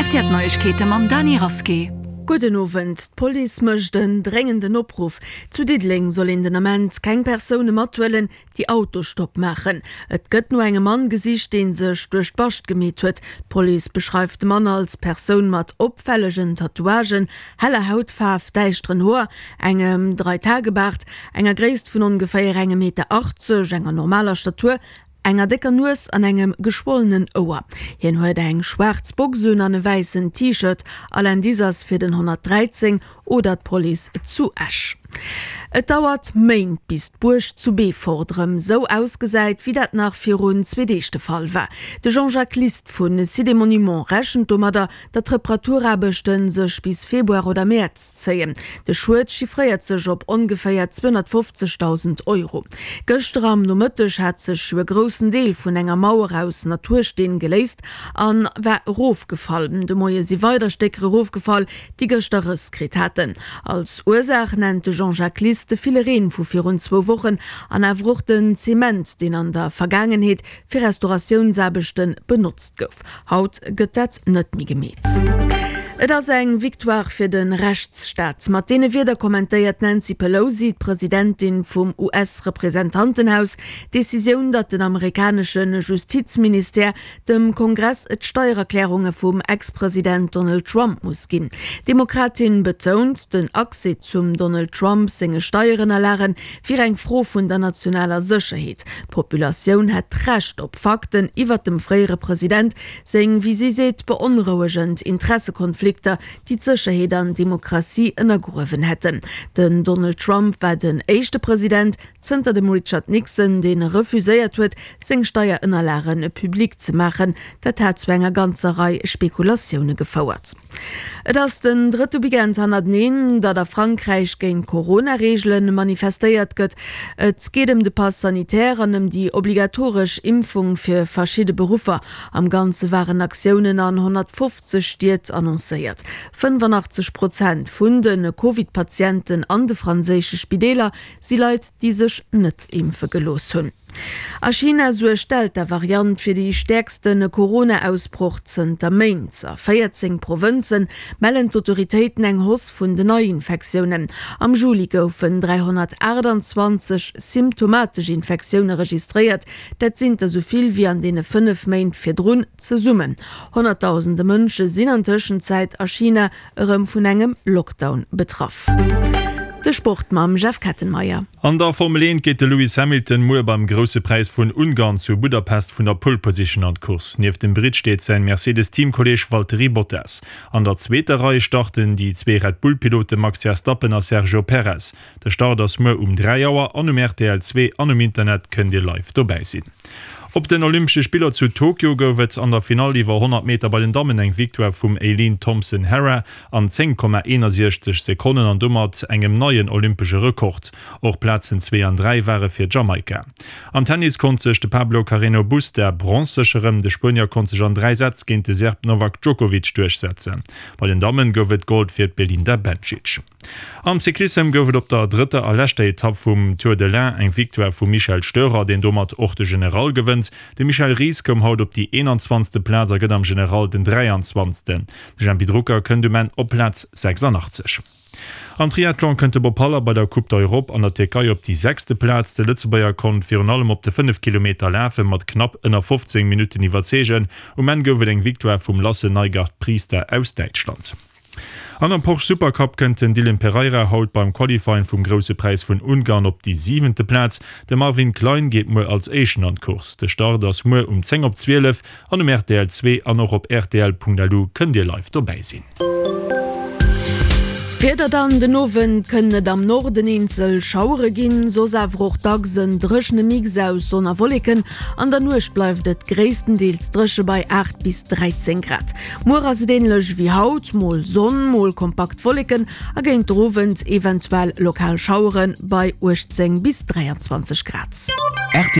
Rtl Neiegkeete mam Dany Rasqué. Gudden Owend. D'Police mécht en dréngenden Opruff. Zu Diddeleng soll een den Ament keng Persoune mathuelen, déi Autostopp maachen. Et gëtt no engem Mann gesicht, dee sech duerch d'Bascht gemeet huet. D'Police beschreift de Mann als Persoun mat opfällegen Tatouagen, heller Hautfaarf, däischteren Hoer, engem Dreitagebaart, enger Gréisst vun ongeféier engem Meter 80, enger normaler Statur, enger décker Nues an engem geschwollenen Ouer. Hien huet eng schwaarz Box un an e wäissen T-Shirt. All Indice ass fir den 113 oder d'Police zu Esch. Et dauert Méint, bis d'Buerg zu Beefort erëm sou ausgesäit, wéi dat nach virun zwee Deeg de Fall war. De Jean-Jacques List vu Sites et Monuments rechent domadder, datt d'Reparaturaarbechte sech bis Februar oder Mäerz zéien. De Schued chiffréiert sech op ongeféier 250.000 Euro. Gëschter am Nomëtteg hat sech jo e groussen Deel vun enger Mauer aus Natursteen geléist an war erofgefall. De Moie si weider Stécker erofgefall, déi gëschter Rëss kritt haten. Als Ursaach nennt de Jean-Jacques Lies de ville Reen vu virun zwou Wochen an awer och den Zement, deen an der Vergaangenheet fir Restauratiounsaarbechte benotzt gouf. Haut gëtt dat net méi gemeet. Et ass eng Victoire fir de Rechtsstaat. Mat deene Wierder kommentéiert d'Nancy Pelosi, d'Presidentin vum US-Representantenhaus, d'Decisioun, datt den amerikanesche Justizministère dem Kongress d'Steiererklärunge vum Ex-President Donald Trump muss ginn. D'Demokratin betount, den Accès zum Donald Trump senge Steierënnerlage wier eng Fro vun der nationaler Sécherheet. D'Populatioun hätt d'Recht op Fakten iwwert dem fréiere President seng, wéi si seet, beonrouegend Interessekonflikter, déi d'Sécherheet an d'Demokratie ënnergruewen hätten. Den Donald Trump war den éischte President, Zënter dem Richard Nixon, dee refuséiert huet, seng Steierënnerlage public ze maachen. Dat hat zu enger ganzer Rei Spekulatioune gefouert. Et ass den drëtte Weekend hannerteneen, datt a Frankräich géint Corona-Reegele manifestéiert gëtt. Et geet ëm de Pass sanitaire an ëm déi obligatoresch Impfung fir verschidde Beruffer. Am Ganze waren Aktiounen an 150 Stied annoncéiert. 85 Prozent vun de Covid-Patienten an de franséische Spideeler Si Leit, déi sech net impfe gelooss hunn. A China suergt d'Delta-Variant fir déi stäerkste Corona-Ausbroch zënter Méint. A 14 Provënze mellen d'Autoritéiten eng Hausse vun den Neiinfektiounen. Am Juli goufen 328 symptomatesch Infektioune registréiert, dat sinn der esou vill wéi an deene 5 Méint virdrun zesummen. Honnertdausende Mënsche sinn an Tëschenzäit a China Erëm vun engem Lockdown betraff. De Sport mam Jeff Kettenmeyer. An der Formel 1 geet de Lewis Hamilton muer beim Grousse Präis vun Ungarn zu Budapest vun der Pole Position an d'Course. Nieft dem Britt steet säin Mercedes-Teamkolleeg Valtteri Bottas. An der zweeter Rei starten déi zwee Red Bull-Pilote Max Verstappen a Sergio Perez. De Start ass muer um 3 Auer an um rtl 2 an um Internet kënnt Dir live dobäi sinn. Op den Olympesche Spiller zu Tokio gouf et an der Finall iwwer 100 Meter bei den Dammen eng Victoire vum Eileen Thompson-Herah an 10,61 Sekonnen an domat engem neien olympesche Rekord. Och Plazen zwee an dräi ware fir Jamaika. Am Tennis konnt sech de Pablo Carreno Busta Bronz sécheren. De Spuenier konnt sech an dräi Sätz géint de Serb Novak Djokovic duerchsetzen. Bei den Dammen gouf et Gold fir d'Belinda Bencic. Am Cyclissem gouf et op der drëtter a leschter Etapp vum Tour de l'Ain eng Victoire vum Michel Störer, deen domat och de General gewënnt. De Michel Ries koum haut op déi 21. Plaz a gëtt am General den 23. De Jempy Drucker kënnt um Enn op Plaz 86. Am Triathlon kënnt de Bob Haller bei der Coupe d'Europe an der Tierkei op déi sechste Plaz. De Lëtzebuerger konnt virun allem op de 5 Kilometer Lafe mat knapp ënner 15 Minutten iwwerzeegen. Um Enn gouf et eng Victoire vum Lasse Nygaard-Priester aus Däitschland. An am Porsche Supercup kënnt den Dylan Pereira haut beim Qualifying vum Grousse Präis vun Ungarn op déi siwente Plaz. De Marvin Klein geet muer als Éischten an d'Course. De Start ass muer um 10 op 12 an um rtl 2 an och op rtl.lu kënnt Dir live dobäi sinn. D'Wieder dann, Den Owend kënnen et am Norden eenzel Schauere ginn, soss awer och dacks en dréchene Mix aus Sonn a Wolleken. An der Nuecht bleift et gréisstendeels dréche bei 8 bis 13 Grad. Muer ass et änlech wéi haut, mol Sonn, mol kompakt Wolleken a géint der Owend eventuell lokal Schauere bei 18 bis 23 Grad.